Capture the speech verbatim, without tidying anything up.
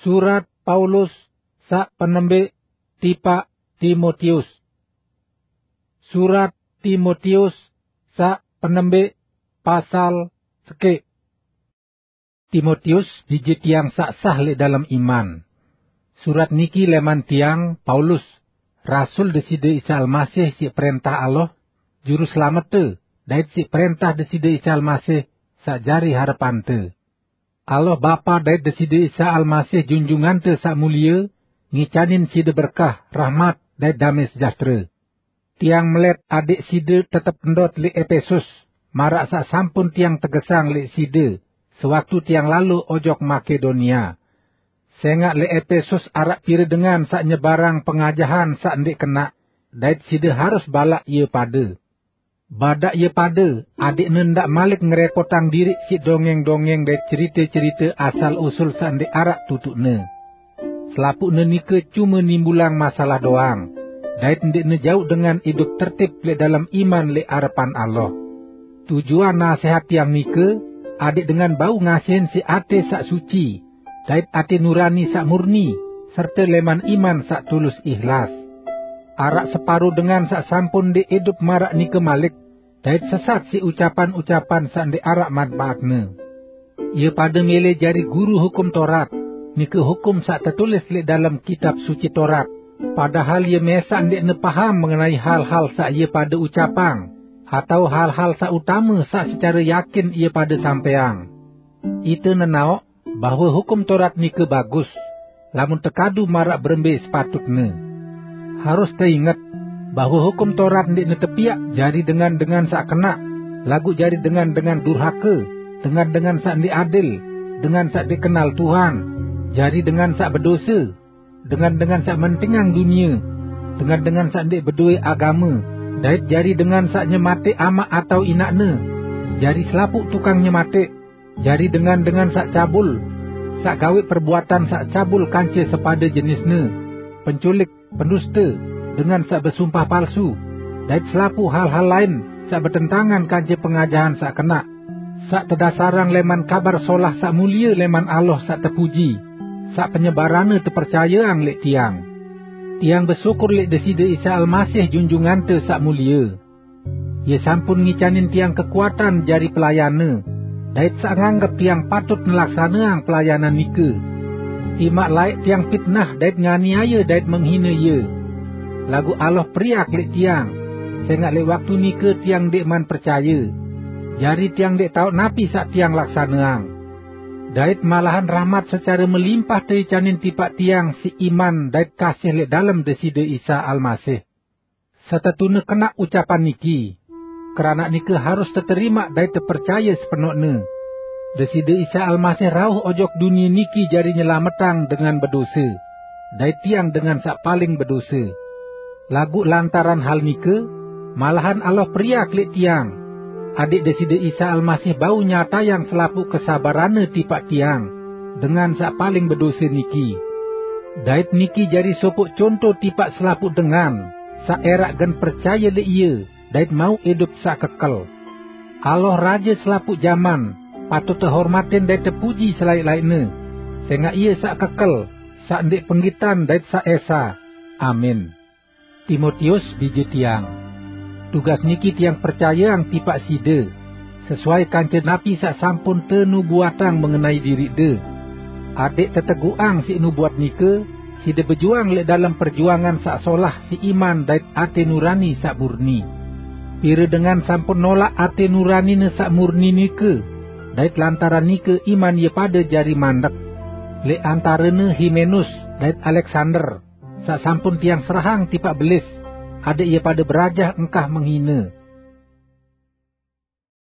Surat Paulus saq penembeq tipaq Timotius. Surat Timotius saq penembeq, pasal sekeq. Timotius, bije tiang saq sah leq dalem iman. Surat niki leman tiang, Paulus, rasul Deside Isa Almasih siq prentah Allah, Juru Selamete, dait siq prentah Deside Isa Almasih saq jari harepante. Allah Bapa dait Deside Isa Almasih Junjungante Saq Mulie, ngicanin side berkah, rahmat, dait dame sejahtere. Tiang melet adeq side tetep ndot leq Epesus, maraq saq sampun tiang tegesang leq side, sewaktu tiang lalo ojok Makedonia. Sengaq leq Epesus araq pire dengan saq nyebarang pengajahan saq ndeq kenaq, dait side harus balaq ie pade. Badaq ie pade, adeqne ndaq malik ngerepotang diriq siq dongeng-dongeng dait cerite-cerite asal-usul saq ndeq araq tutuqne. Selapuqne nike cume nimbulang masalah doang, dait ndeqne jauq dengan idup tertib leq dalem iman leq arepan Allah. Tujuan nasehat tiang nike, adeq dengan bau ngasihin siq ate saq suci, dait ate nurani saq murni, serte leman iman saq tulus ihlas. Araq separo dengan saq sampun ndeq idup maraq nike malik, dait sesat siq ucapan-ucapan saq ndeq araq manpaatne. Ie pade mele jari guru Hukum Torat, nike hukum saq tetulis leq dalem Kitab Suci Torat, padahal ie mesaq ndeqne paham mengenai hal-hal saq ie pade ucapang, atao hal-hal saq utame saq secare yakin ie pade sampeang. Ite nenaoq bahwe Hukum Torat nike bagus, lamun tekadu maraq berembe sepatutne. Harus teinget bahwe Hukum Torat ndeqne tepiaq jari dengan-dengan saq kenaq, laguq jari dengan-dengan durhake, dengan-dengan saq ndeq adil, dengan saq ndeq kenal Tuhan, jari dengan saq bedose, dengan-dengan saq mentingang dunie, dengan-dengan saq ndeq bedoe agame, dait jari dengan saq nyemateq amaq atao inaqne, jari selapuq tukang nyemateq, jari dengan-dengan saq cabul, saq gaweq perbuatan saq cabul kance sepade jenisne, penculik, penduste, dengan saq besumpah palsu, dait selapuq hal-hal lain saq betentangan kance pengajahan saq kenaq, saq tedasarang leman Kabar Solah saq mulie leman Allah saq tepuji, saq penyebaranne tepercayeang leq tiang. Tiang besyukur leq Deside Isa Almasih Junjungante Saq Mulie. Ie sampun ngicanin tiang kekuatan jari pelayanne, dait saq nganggep tiang patut nelaksaneang pelayanan nike. Timaq laeq tiang pitnah dait nganiaye dait menghine ie. Laguq Allah periak leq tiang, sengaq leq waktu nike tiang ndeqman percaye. Jari tiang ndeq taoq napi saq tiang laksaneang. Dait malahan rahmat secare melimpah teicanin tipaq tiang siq iman dait kasih leq dalem Deside Isa Almasih. Setetune kenaq ucapan niki, keranaq nike harus teterimaq dait tepercaye sepenoqne. Deside Isa Almasih rauh ojok dunie niki jari nyelametang dengan bedose, dait tiang dengan saq paling bedose. Laguq lantaran hal nike, malahan Allah periak leq tiang, adeq Deside Isa Almasih bau nyatayang selapuq kesabaranne tipaq tiang, dengan saq paling bedose niki. Dait niki jari sopoq conto tipaq selapuq dengan saq eraq gen percaye leq Ie dait mauq idup saq kekel. Allah, Raje selapuq jaman, patut tehormatin dait tepuji selaeq-laeqne, sengaq Ie saq kekel, saq ndeq penggitan dait saq esa. Amin. Timotius, bije tiang. Tugas niki tiang percayeang tipaq side, sesuai kance napi saq sampun tenubuatang mengenai diriqde. Adeq teteguqang siq nubuat nike, side bejuang leq dalem perjuangan saq solah siq iman dait ate nurani saq murni. Pire dengan sampun nolaq ate nuranine saq murni nike, dait lantaran nike iman ie pade jari mandek. Leq antarene Himenus dait Aleksander, saq sampun tiang serahang tipaq belis, adeq ie pade berajah engkah menghine.